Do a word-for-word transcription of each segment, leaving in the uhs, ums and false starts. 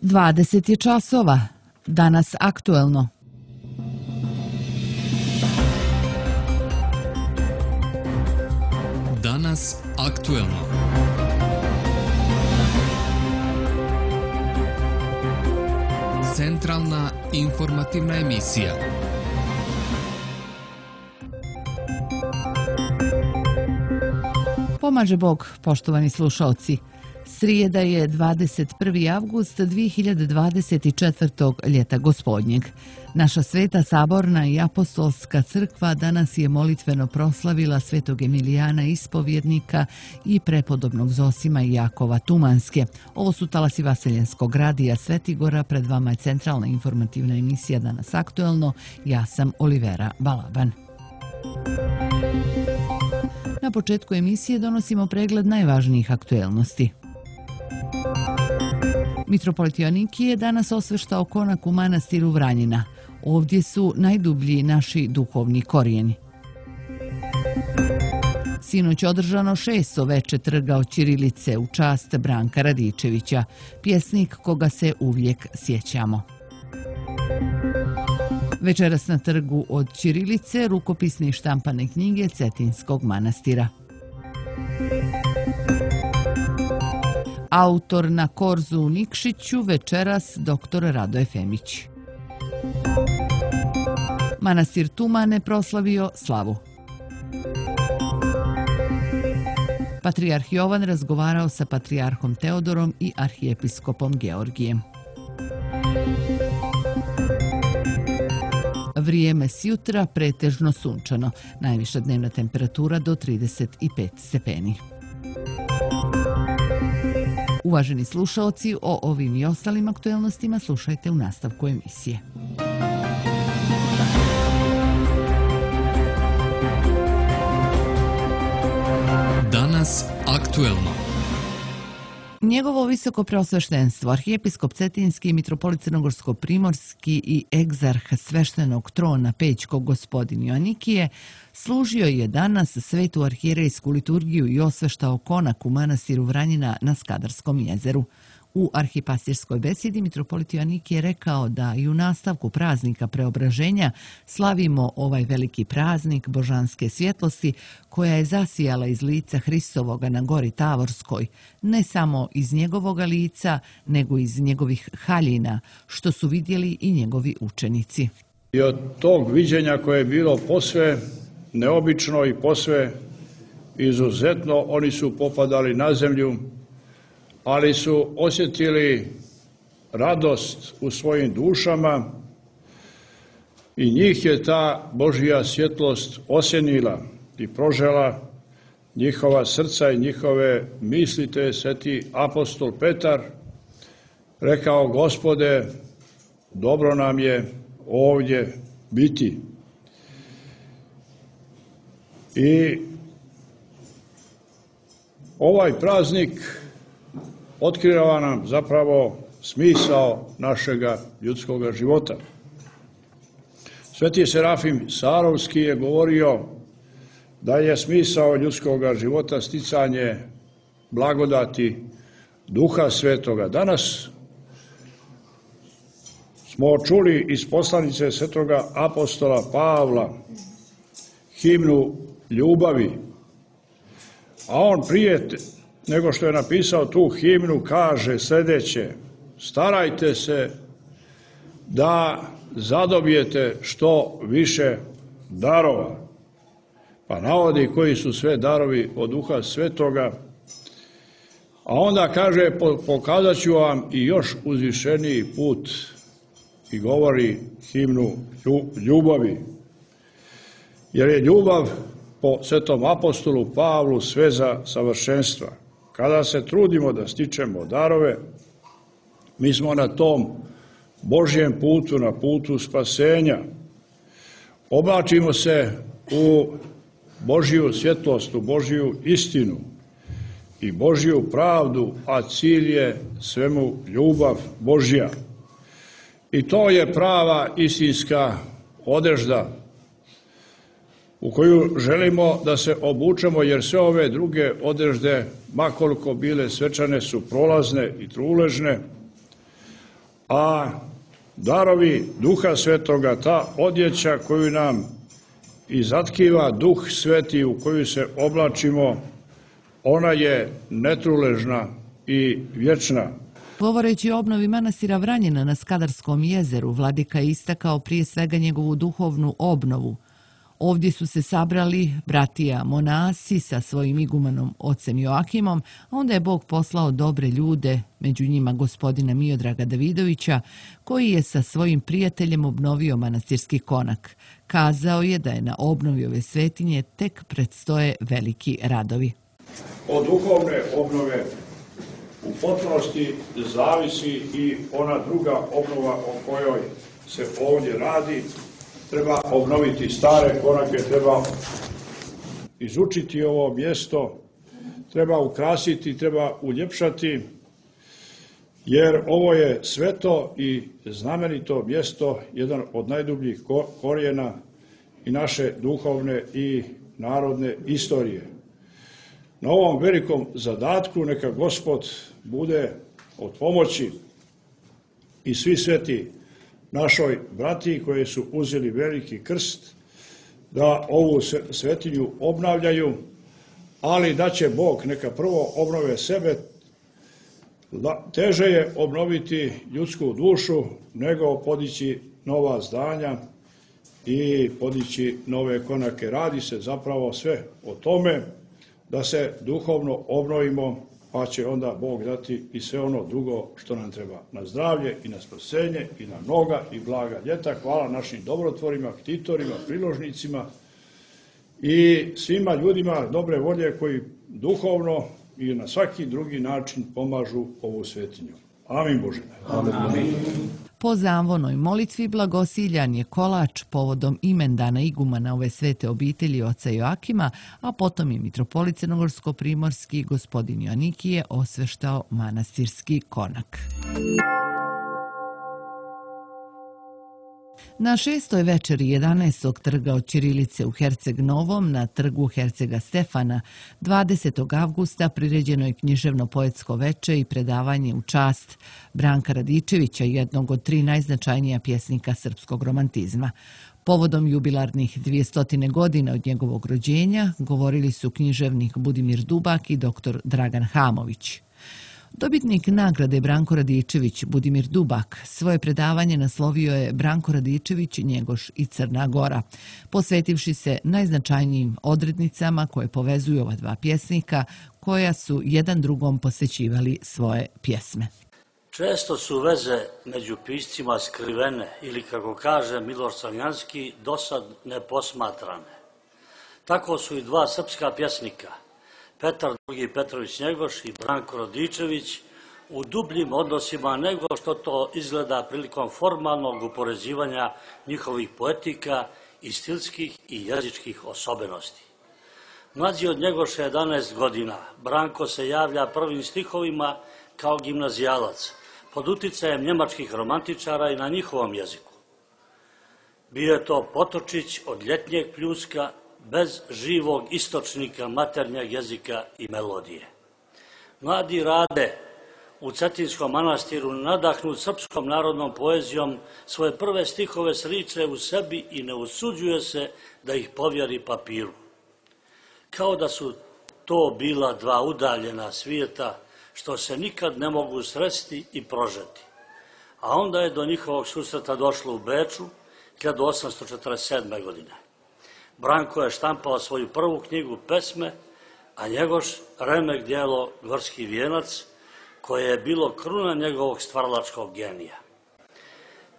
dvadeset je časova. Danas aktuelno. Danas aktuelno. Centralna informativna emisija. Pomaže Bog, poštovani slušaoci. Srijeda je dvadeset prvi avgust dvije hiljade dvadeset četvrtog ljeta gospodnjeg. Naša Sveta Saborna i Apostolska crkva danas je molitveno proslavila svetog Emilijana Ispovjednika i prepodobnog Zosima i Jakova Tumanske. Ovo su talasi Vaseljenskog radija Svetigora, pred vama je centralna informativna emisija Danas aktuelno. Ja sam Olivera Balaban. Na početku emisije donosimo pregled najvažnijih aktuelnosti. Mitropolit Joanikije danas osveštao konak u manastiru Vranjina. Ovdje su najdublji naši duhovni korijeni. Sinoć održano šesto veče trga od ćirilice u čast Branka Radičevića, pjesnik koga se uvijek sjećamo. Večeras na trgu od ćirilice rukopisne i štampane knjige Cetinskog manastira. Autor na korzu u Nikšiću večeras doktor Radoje Femić. Manastir Tumane proslavio slavu. Patrijarh Jovan razgovarao sa patrijarhom Teodorom i arhijepiskopom Georgijem. Vrijeme sjutra pretežno sunčano, najviša dnevna temperatura do trideset pet stepeni. Uvaženi slušaoci, o ovim i ostalim aktuelnostima slušajte u nastavku emisije. Danas aktuelno. Njegovo visoko preosveštenstvo, arhijepiskop Cetinski, mitropolit Crnogorsko-primorski i egzarh sveštenog trona Pećkog gospodin Joanikije služio je danas svetu arhijerejsku liturgiju i osveštao konak u manastiru Vranjina na Skadarskom jezeru. U arhipastirskoj besedi mitropolit Joanikije je rekao da i u nastavku praznika preobraženja slavimo ovaj veliki praznik božanske svjetlosti koja je zasijala iz lica Hristovoga na gori Tavorskoj, ne samo iz njegovoga lica, nego iz njegovih haljina, što su vidjeli i njegovi učenici. I od tog viđenja koje je bilo posve neobično i posve izuzetno, oni su popadali na zemlju, ali su osjetili radost u svojim dušama i njih je ta Božja svjetlost osjenila i prožela njihova srca i njihove misli, te je sveti apostol Petar rekao: Gospode, dobro nam je ovdje biti. I ovaj praznik otkriva nam zapravo smisao našega ljudskoga života. Sveti Serafim Sarovski je govorio da je smisao ljudskoga života sticanje blagodati Duha Svetoga. Danas smo čuli iz poslanice svetoga apostola Pavla himnu ljubavi, a on prije nego što je napisao tu himnu kaže sljedeće: starajte se da zadobijete što više darova. Pa navodi koji su sve darovi od Duha Svetoga, a onda kaže: pokazat ću vam i još uzvišeniji put, i govori himnu ljubavi. Jer je ljubav po svetom apostolu Pavlu sveza savršenstva. Kada se trudimo da stičemo darove, mi smo na tom Božjem putu, na putu spasenja. Oblačimo se u Božju svjetlost, u Božju istinu i Božju pravdu, a cilj je svemu ljubav Božja. I to je prava istinska odežda u koju želimo da se obučemo, jer sve ove druge odežde, makoliko bile svečane, su prolazne i truležne, a darovi Duha Svetoga, ta odjeća koju nam izatkiva Duh Sveti u koju se oblačimo, ona je netruležna i vječna. Govoreći o obnovi manastira Vranjina na Skadarskom jezeru, vladika je istakao prije svega njegovu duhovnu obnovu. Ovdje su se sabrali bratija monasi sa svojim igumanom ocem Joakimom, a onda je Bog poslao dobre ljude, među njima gospodina Miodraga Davidovića, koji je sa svojim prijateljem obnovio manastirski konak. Kazao je da je na obnovi ove svetinje tek predstoje veliki radovi. Od duhovne obnove u potpunosti zavisi i ona druga obnova o kojoj se ovdje radi. Treba obnoviti stare konake, treba izučiti ovo mjesto, treba ukrasiti, treba uljepšati, jer ovo je sveto i znamenito mjesto, jedan od najdubljih korijena i naše duhovne i narodne istorije. Na ovom velikom zadatku neka Gospod bude od pomoći i svi sveti našoj bratiji koji su uzeli veliki krst da ovu svetinju obnavljaju, ali da će Bog neka prvo obnove sebe. Teže je obnoviti ljudsku dušu nego podići nova zdanja i podići nove konake. Radi se zapravo sve o tome da se duhovno obnovimo, pa će onda Bog dati i sve ono drugo što nam treba na zdravlje i na spasenje i na mnoga i blaga ljeta. Hvala našim dobrotvorima, ktitorima, priložnicima i svima ljudima dobre volje koji duhovno i na svaki drugi način pomažu ovu svetinju. Amin Bože. Amin. Amin. Po zamvonoj molitvi blagosiljan je kolač povodom imendana igumana ove svete obitelji oca Joakima, a potom je mitropolit crnogorsko-primorski gospodin Joanikije osveštao manastirski konak. Na šestoj večeri jedanaestog trga od ćirilice u Herceg Novom na trgu Hercega Stefana dvadesetog avgusta priređeno je književno-poetsko veče i predavanje u čast Branka Radičevića, jednog od tri najznačajnija pjesnika srpskog romantizma. Povodom jubilarnih dvijestotine godina od njegovog rođenja govorili su književnik Budimir Dubak i doktor Dragan Hamović. Dobitnik nagrade Branko Radičević, Budimir Dubak, svoje predavanje naslovio je Branko Radičević, Njegoš i Crna Gora, posvetivši se najznačajnijim odrednicama koje povezuju ova dva pjesnika, koja su jedan drugom posvećivali svoje pjesme. Često su veze među piscima skrivene ili, kako kaže Miloš Crnjanski, dosad neposmatrane. Tako su i dva srpska pjesnika, Petar drugi Petrović Njegoš i Branko Radičević, u dubljim odnosima nego što to izgleda prilikom formalnog upoređivanja njihovih poetika i stilskih i jezičkih osobenosti. Mlađi od Njegoša jedanaest godina, Branko se javlja prvim stihovima kao gimnazijalac, pod uticajem njemačkih romantičara i na njihovom jeziku. Bio je to potočić od ljetnjeg pljuska, bez živog istočnika maternjeg jezika i melodije. Mladi Rade u Cetinskom manastiru, nadahnut srpskom narodnom poezijom, svoje prve stihove sriče u sebi i ne usuđuje se da ih povjeri papiru. Kao da su to bila dva udaljena svijeta što se nikad ne mogu sresti i prožeti. A onda je do njihovog susreta došlo u Beču hiljadu osamsto četrdeset sedme. godine. Branko je štampao svoju prvu knjigu pesme, a Njegoš remek djelo Gorski vijenac, koje je bilo kruna njegovog stvaralačkog genija.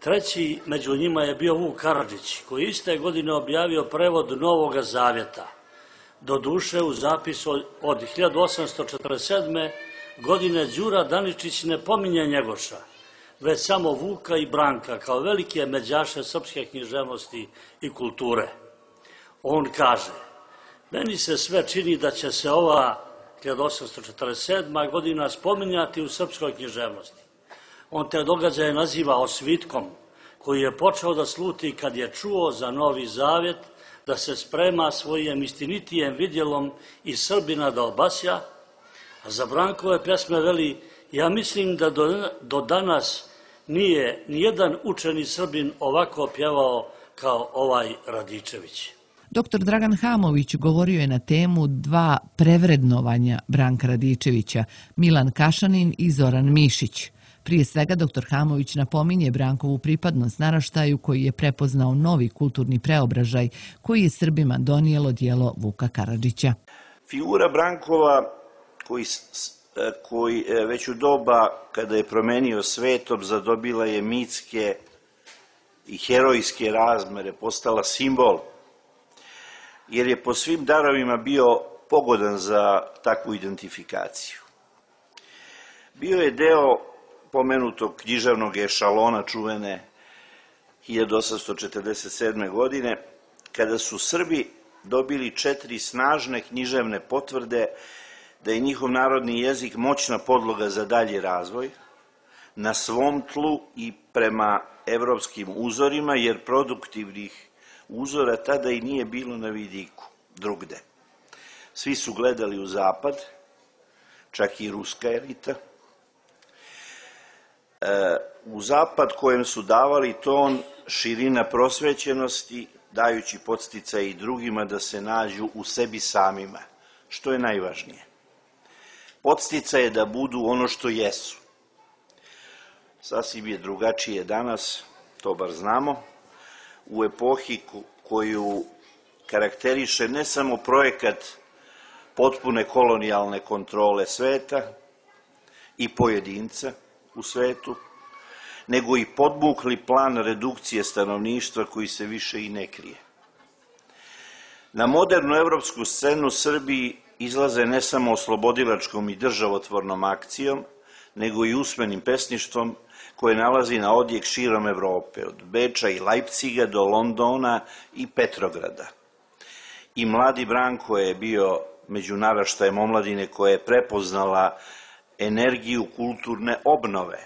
Treći među njima je bio Vuk Karadžić, koji iste godine objavio prevod Novoga zavjeta. Doduše, u zapisu od hiljadu osamsto četrdeset sedme. godine Đura Daničić ne pominje Njegoša, već samo Vuka i Branka kao velike međaše srpske književnosti i kulture. On kaže, meni se sve čini da će se ova hiljadu osamsto četrdeset sedma. godina spominjati u srpskoj književnosti. On te događaje naziva osvitkom, koji je počeo da sluti kad je čuo za Novi Zavjet da se sprema svojim istinitijem vidjelom iz Srbina da obasja, a za Brankove pjesme veli, ja mislim da do, do danas nije nijedan učeni Srbin ovako pjevao kao ovaj Radičević. Doktor Dragan Hamović govorio je na temu dva prevrednovanja Branka Radičevića, Milan Kašanin i Zoran Mišić. Prije svega, doktor Hamović napominje Brankovu pripadnost naraštaju koji je prepoznao novi kulturni preobražaj koji je Srbima donijelo djelo Vuka Karadžića. Figura Brankova koji, koji već u doba kada je promenio svetom zadobila je mitske i herojske razmere, postala simbol, jer je po svim darovima bio pogodan za takvu identifikaciju. Bio je deo pomenutog književnog ešalona čuvene hiljadu osamsto četrdeset sedme. godine, kada su Srbi dobili četiri snažne književne potvrde da je njihov narodni jezik moćna podloga za dalji razvoj, na svom tlu i prema evropskim uzorima, jer produktivnih uzora tada i nije bilo na vidiku, drugde. Svi su gledali u zapad, čak i ruska elita, u zapad kojem su davali ton širina prosvećenosti, dajući podsticaj i drugima da se nađu u sebi samima, što je najvažnije. Podsticaj je da budu ono što jesu. Sasvim je drugačije danas, to bar znamo, u epohi koju karakteriše ne samo projekat potpune kolonijalne kontrole sveta i pojedinca u svetu, nego i podmukli plan redukcije stanovništva koji se više i ne krije. Na modernu evropsku scenu Srbiji izlaze ne samo oslobodilačkom i državotvornom akcijom, nego i usmenim pesništvom koje nalazi na odjek širom Evrope, od Beča i Lajpciga do Londona i Petrograda. I mladi Branko je bio među naraštajem omladine koja je prepoznala energiju kulturne obnove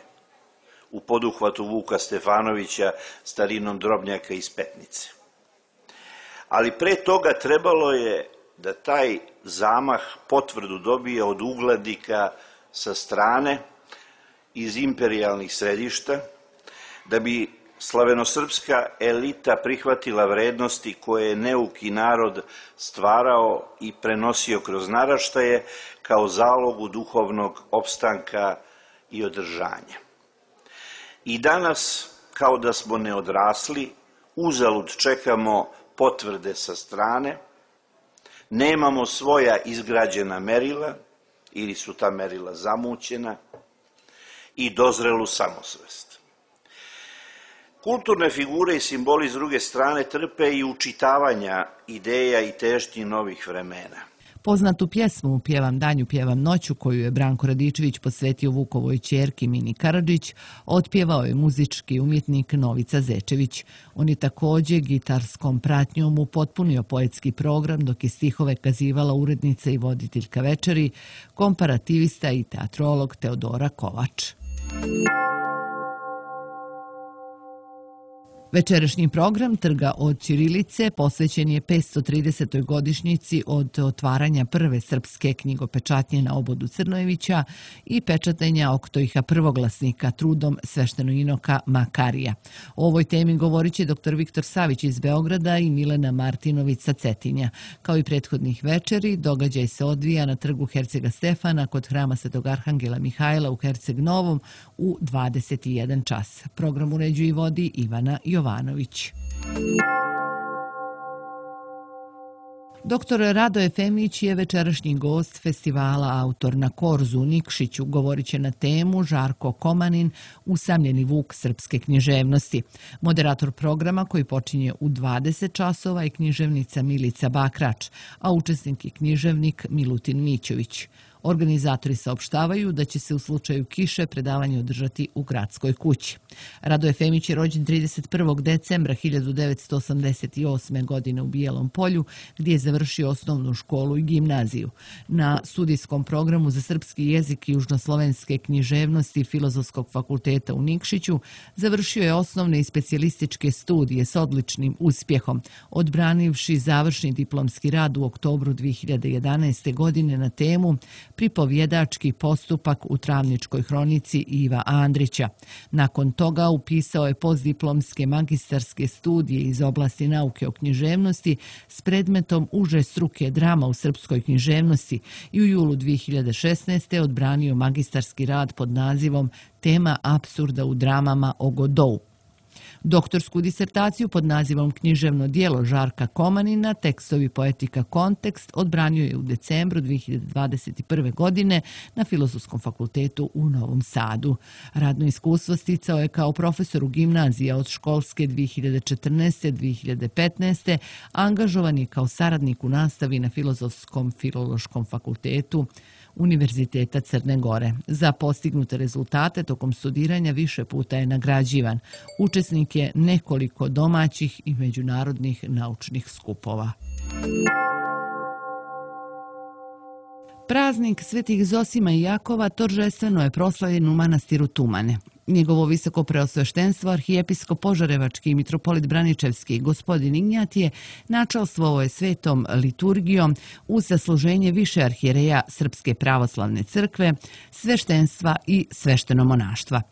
u poduhvatu Vuka Stefanovića starinom Drobnjaka iz Petnice. Ali pre toga trebalo je da taj zamah potvrdu dobije od uglednika sa strane iz imperijalnih središta, da bi slavenosrpska elita prihvatila vrednosti koje je neuki narod stvarao i prenosio kroz naraštaje kao zalogu duhovnog opstanka i održanja. I danas, kao da smo neodrasli, uzalud čekamo potvrde sa strane, nemamo svoja izgrađena merila ili su ta merila zamućena i dozrelu samosvest. Kulturne figure i simboli s druge strane trpe i učitavanja ideja i težnji novih vremena. Poznatu pjesmu Pjevam danju, pjevam noću, koju je Branko Radičević posvetio Vukovoj ćerki Mini Karadžić, otpjevao je muzički umjetnik Novica Zečević. On je također gitarskom pratnjom upotpunio poetski program, dok je stihove kazivala urednica i voditeljka večeri, komparativista i teatrolog Teodora Kovač. Večerašnji program Trga od ćirilice posvećen je petsto tridesetoj godišnjici od otvaranja prve srpske knjigopečatnje na obodu Crnojevića i pečatenja Oktojiha prvoglasnika trudom sveštenoinoka Makarija. O ovoj temi govorit će doktor Viktor Savić iz Beograda i Milena Martinović sa Cetinja. Kao i prethodnih večeri, događaj se odvija na trgu Hercega Stefana kod hrama Svetog Arhangela Mihajla u Herceg Novom u dvadeset jedan čas. Program uređuje i vodi Ivana Jovanović. Doktor Radoje Femić je večerašnji gost festivala Autor na Korzu u Nikšiću. Govorit će na temu Žarko Komanin, usamljeni vuk srpske književnosti. Moderator programa koji počinje u dvadeset časova je književnica Milica Bakrač, a učesnik je književnik Milutin Mićović. Organizatori saopštavaju da će se u slučaju kiše predavanje održati u Gradskoj kući. Radoje Femić je rođen trideset prvog decembra hiljadu devetsto osamdeset osme. godine u Bijelom Polju, gdje je završio osnovnu školu i gimnaziju. Na studijskom programu za srpski jezik i južnoslovenske književnosti Filozofskog fakulteta u Nikšiću završio je osnovne i specijalističke studije s odličnim uspjehom, odbranivši završni diplomski rad u oktobru dve hiljade jedanaeste. godine na temu pripovjedački postupak u Travničkoj hronici Iva Andrića. Nakon toga upisao je postdiplomske magistarske studije iz oblasti nauke o književnosti s predmetom uže struke drama u srpskoj književnosti i u julu dvije hiljade šesnaeste. odbranio magistarski rad pod nazivom Tema apsurda u dramama o Godou. Doktorsku disertaciju pod nazivom Književno djelo Žarka Komanina, tekstovi poetika kontekst, odbranio je u decembru dvije hiljade dvadeset prve. godine na Filozofskom fakultetu u Novom Sadu. Radno iskustvo sticao je kao profesor u gimnaziji od školske dvije hiljade četrnaeste. do dvije hiljade petnaeste. Angažovan je kao saradnik u nastavi na Filozofskom filološkom fakultetu Univerziteta Crne Gore. Za postignute rezultate tokom studiranja više puta je nagrađivan. Učesnik je nekoliko domaćih i međunarodnih naučnih skupova. Praznik Svetih Zosima i Jakova торжествено je proslavljen u manastiru Tumane. Njegovo visoko preosveštenstvo, arhijepiskop Požarevački i mitropolit Braničevski gospodin Ignjatije načalstvovao je svetom liturgijom uz zasluženje više arhijereja Srpske pravoslavne crkve, sveštenstva i sveštenomonaštva.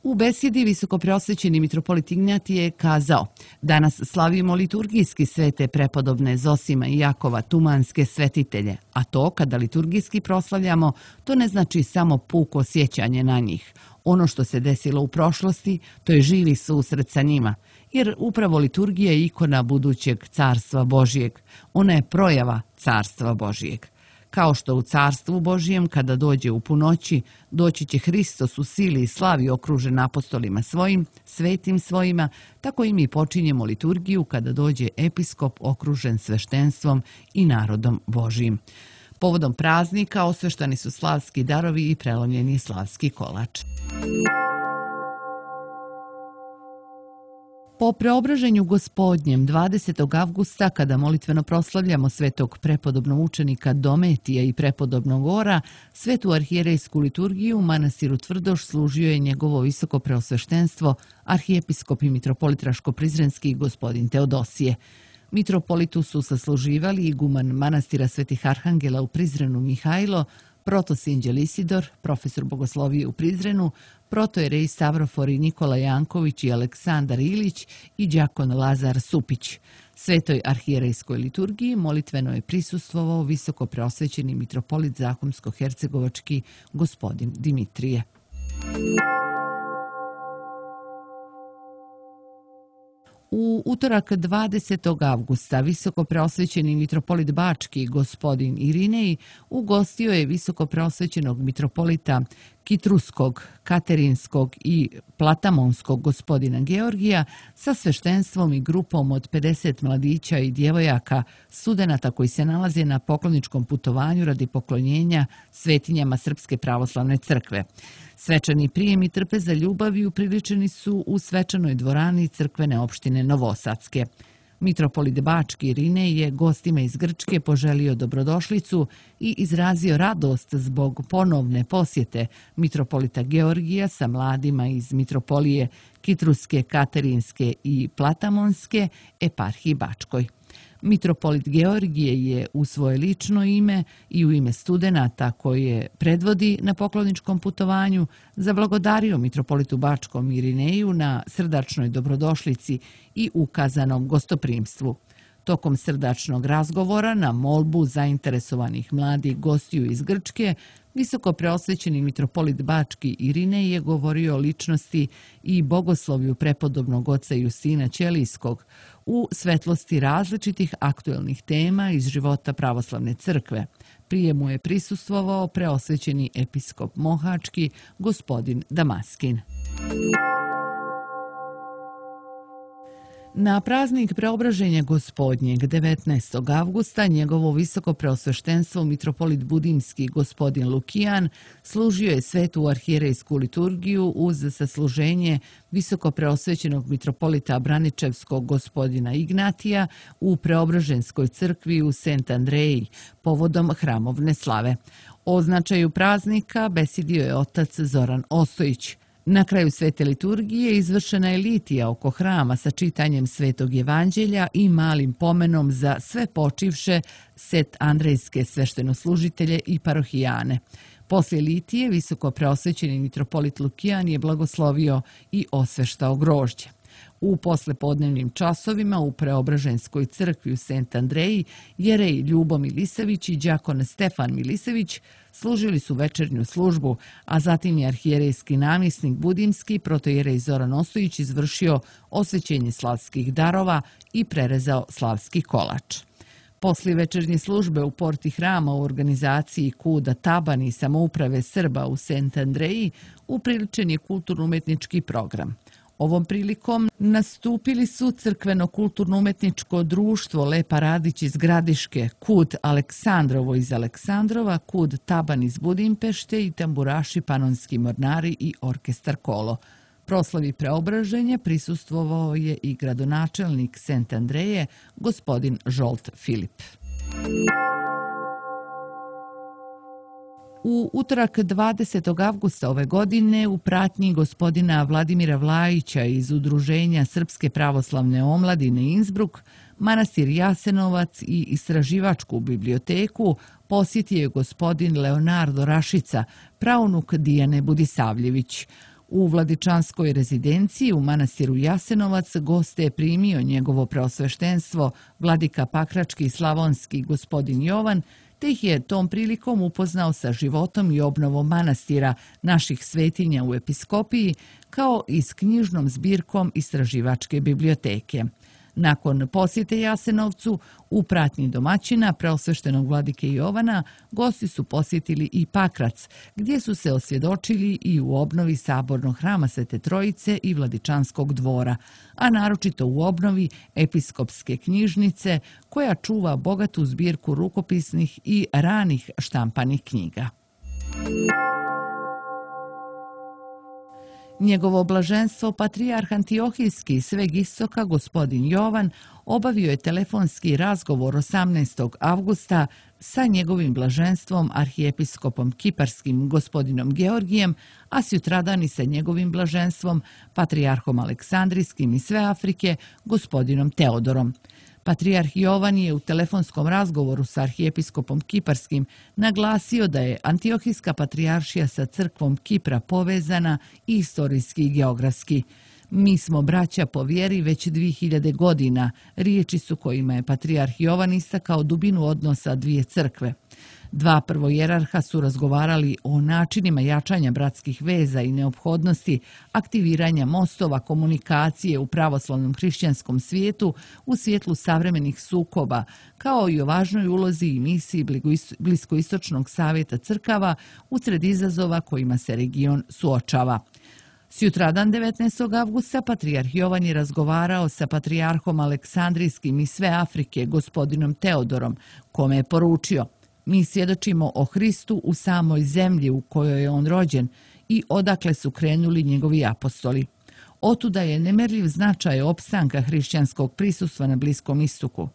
U besjedi visokopreosvećeni mitropolit Ignjatije je kazao: danas slavimo liturgijski svete prepodobne Zosima i Jakova tumanske svetitelje, a to kada liturgijski proslavljamo, to ne znači samo puko sjećanje na njih. Ono što se desilo u prošlosti, to je živi susret sa njima, jer upravo liturgija je ikona budućeg carstva Božijeg. Ona je projava carstva Božijeg. Kao što u carstvu Božijem, kada dođe u punoći, doći će Hristos u sili i slavi okružen apostolima svojim, svetim svojima, tako i mi počinjemo liturgiju kada dođe episkop okružen sveštenstvom i narodom Božijim. Povodom praznika osveštani su slavski darovi i prelomljeni slavski kolač. Po preobraženju Gospodnjem dvadesetog avgusta, kada molitveno proslavljamo svetog prepodobnog učenika Dometija i prepodobnog Ora, svetu arhijerejsku liturgiju u manastiru Tvrdoš služio je njegovo visoko preosveštenstvo, arhijepiskop i mitropolit Raško-Prizrenski gospodin Teodosije. Mitropolitu su sasluživali iguman manastira Svetih Arhangela u Prizrenu Mihajlo, protosinđel Isidor, profesor bogoslovije u Prizrenu, protojerej Stavrofori Nikola Janković i Aleksandar Ilić i đakon Lazar Supić. Svetoj arhijerejskoj liturgiji molitveno je prisustvovao visoko preosvećeni mitropolit Zahumsko-hercegovački gospodin Dimitrije. U utorak dvadesetog avgusta visoko preosvećeni mitropolit Bački gospodin Irinej ugostio je visoko preosvećenog mitropolita Kitruskog, Katerinskog i Platamonskog gospodina Georgija sa sveštenstvom i grupom od pedeset mladića i djevojaka, studenata koji se nalaze na pokloničkom putovanju radi poklonjenja svetinjama Srpske pravoslavne crkve. Svečani prijem i trpeza ljubavi upriličeni su u svečanoj dvorani crkvene opštine Novosadske. Mitropolit Bački Irinej je gostima iz Grčke poželio dobrodošlicu i izrazio radost zbog ponovne posjete mitropolita Georgija sa mladima iz mitropolije Kitruske, Katerinske i Platamonske eparhiji Bačkoj. Mitropolit Georgije je u svoje lično ime i u ime studenata koje predvodi na pokloničkom putovanju zablagodario mitropolitu Bačkom Irineju na srdačnoj dobrodošlici i ukazanom gostoprimstvu. Tokom srdačnog razgovora na molbu zainteresovanih mladih gostiju iz Grčke, visoko preosvećeni mitropolit Bački Irinej je govorio o ličnosti i bogoslovlju prepodobnog oca Justina Ćelijskog u svetlosti različitih aktuelnih tema iz života pravoslavne crkve. Prijemu je prisustvovao preosvećeni episkop Mohački gospodin Damaskin. Na praznik preobraženja Gospodnjeg devetnaestog avgusta njegovo visoko preosveštenstvo mitropolit Budimski gospodin Lukijan služio je svetu arhijerejsku liturgiju uz sasluženje visoko preosvećenog mitropolita Braničevskog gospodina Ignatija u Preobraženskoj crkvi u Sent Andreji povodom hramovne slave. O značaju praznika besjedio je otac Zoran Ostojić. Na kraju svete liturgije izvršena je litija oko hrama sa čitanjem svetog evanđelja i malim pomenom za sve počivše set andrejske sveštenoslužitelje i parohijane. Poslije litije visoko preosvećeni mitropolit Lukijan je blagoslovio i osveštao grožđe. U poslepodnevnim časovima u Preobraženskoj crkvi u Sent Andreji jerej Ljubo Milisević i đakon Stefan Milisević služili su večernju službu, a zatim je arhijerejski namjesnik Budimski protojerej Zoran Ostojić izvršio osvećenje slavskih darova i prerezao slavski kolač. Poslije večernje službe u porti hrama u organizaciji Kuda Taban i samouprave Srba u Sent Andreji upriličen je kulturno-umetnički program. Ovom prilikom nastupili su crkveno-kulturno-umetničko društvo Lepa Radić iz Gradiške, Kud Aleksandrovo iz Aleksandrova, Kud Taban iz Budimpešte i tamburaši Panonski mornari i orkestar Kolo. Proslavi preobraženja prisustvovao je i gradonačelnik Sent Andreje, gospodin Žolt Filip. U utorak dvadesetog avgusta ove godine u pratnji gospodina Vladimira Vlajića iz Udruženja Srpske pravoslavne omladine Innsbruck, manastir Jasenovac i istraživačku biblioteku posjetio je gospodin Leonardo Rašica, praunuk Dijane Budisavljević. U vladičanskoj rezidenciji u manastiru Jasenovac goste je primio njegovo preosveštenstvo vladika Pakrački i Slavonski gospodin Jovan, te ih je tom prilikom upoznao sa životom i obnovom manastira naših svetinja u episkopiji, kao i s knjižnom zbirkom istraživačke biblioteke. Nakon posjete Jasenovcu, u pratnji domaćina preosveštenog vladike Jovana, gosti su posjetili i Pakrac, gdje su se osvjedočili i u obnovi sabornog hrama Svete Trojice i Vladičanskog dvora, a naročito u obnovi episkopske knjižnice, koja čuva bogatu zbirku rukopisnih i ranih štampanih knjiga. Njegovo blaženstvo patrijarh Antiohijski sveg istoka gospodin Jovan obavio je telefonski razgovor osamnaestog avgusta sa njegovim blaženstvom arhijepiskopom kiparskim gospodinom Georgijem, a sutradan i sa njegovim blaženstvom patrijarhom Aleksandrijskim i sve Afrike gospodinom Teodorom. Patrijarh Jovan je u telefonskom razgovoru sa arhijepiskopom kiparskim naglasio da je Antiohijska patrijaršija sa crkvom Kipra povezana istorijski i geografski. Mi smo braća po vjeri već dvije hiljade godina, riječi su kojima je patrijarh Jovan istakao dubinu odnosa dvije crkve. Dva prvojerarha su razgovarali o načinima jačanja bratskih veza i neophodnosti aktiviranja mostova komunikacije u pravoslavnom hrišćanskom svijetu u svjetlu savremenih sukoba, kao i o važnoj ulozi i misiji Bliskoistočnog savjeta crkava usred izazova kojima se region suočava. Sutradan devetnaestog avgusta patrijarh Jovan je razgovarao sa patrijarhom Aleksandrijskim i sve Afrike gospodinom Teodorom, kome je poručio: mi svjedočimo o Hristu u samoj zemlji u kojoj je on rođen i odakle su krenuli njegovi apostoli. Otuda je nemerljiv značaj opstanka hrišćanskog prisustva na Bliskom istoku.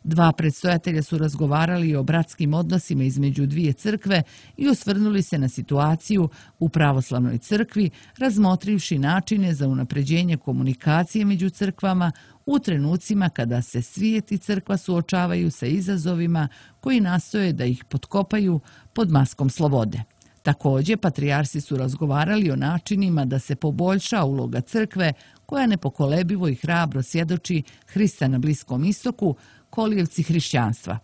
Dva predstojatelja su razgovarali o bratskim odnosima između dvije crkve i osvrnuli se na situaciju u pravoslavnoj crkvi, razmotrivši načine za unapređenje komunikacije među crkvama u trenucima kada se svijet i crkva suočavaju sa izazovima koji nastoje da ih potkopaju pod maskom slobode. Također, patrijarsi su razgovarali o načinima da se poboljša uloga crkve, koja nepokolebivo i hrabro svjedoči Hrista na Bliskom istoku, kolijevci hrišćanstva.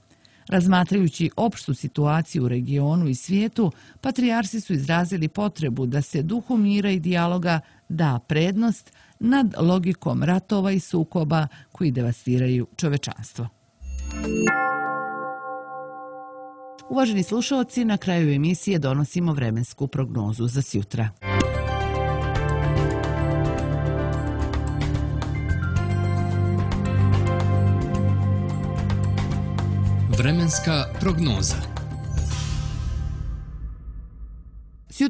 Razmatrajući opštu situaciju u regionu i svijetu, patrijarsi su izrazili potrebu da se duhu mira i dijaloga da prednost nad logikom ratova i sukoba koji devastiraju čovečanstvo. Uvaženi slušalci, na kraju emisije donosimo vremensku prognozu za sjutra. Vremenska prognoza.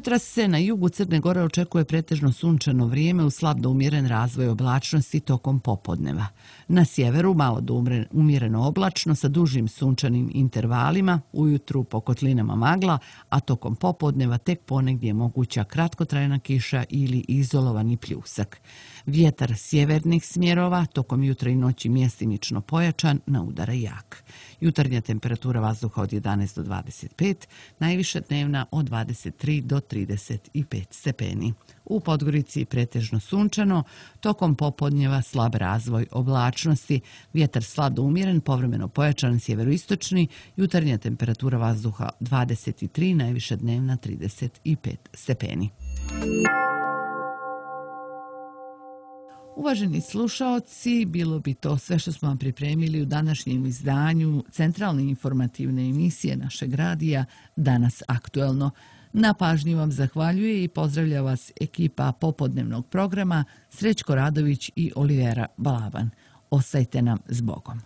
Sutra se na jugu Crne Gore očekuje pretežno sunčano vrijeme uz slab do umjeren razvoj oblačnosti tokom popodneva. Na sjeveru malo do umjereno oblačno sa dužim sunčanim intervalima, ujutru po kotlinama magla, a tokom popodneva tek ponegdje je moguća kratkotrajna kiša ili izolovani pljusak. Vjetar sjevernih smjerova tokom jutra i noći mjestimično pojačan, na udara jak. Jutarnja temperatura vazduha od jedanaest do dvadeset pet, najviša dnevna od dvadeset tri do trideset pet stepeni. U Podgorici pretežno sunčano, tokom popodnjeva slab razvoj oblačnosti, vjetar slab do umjeren, povremeno pojačan sjeveroistočni, jutarnja temperatura vazduha dvadeset tri, najviša dnevna trideset pet stepeni. Uvaženi slušaoci, bilo bi to sve što smo vam pripremili u današnjem izdanju centralne informativne emisije našeg radija Danas aktuelno. Na pažnji vam zahvaljuje i pozdravlja vas ekipa popodnevnog programa Srećko Radović i Olivera Balaban. Ostajte nam s Bogom.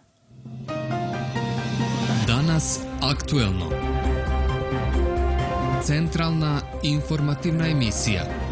Danas aktuelno. Centralna informativna emisija.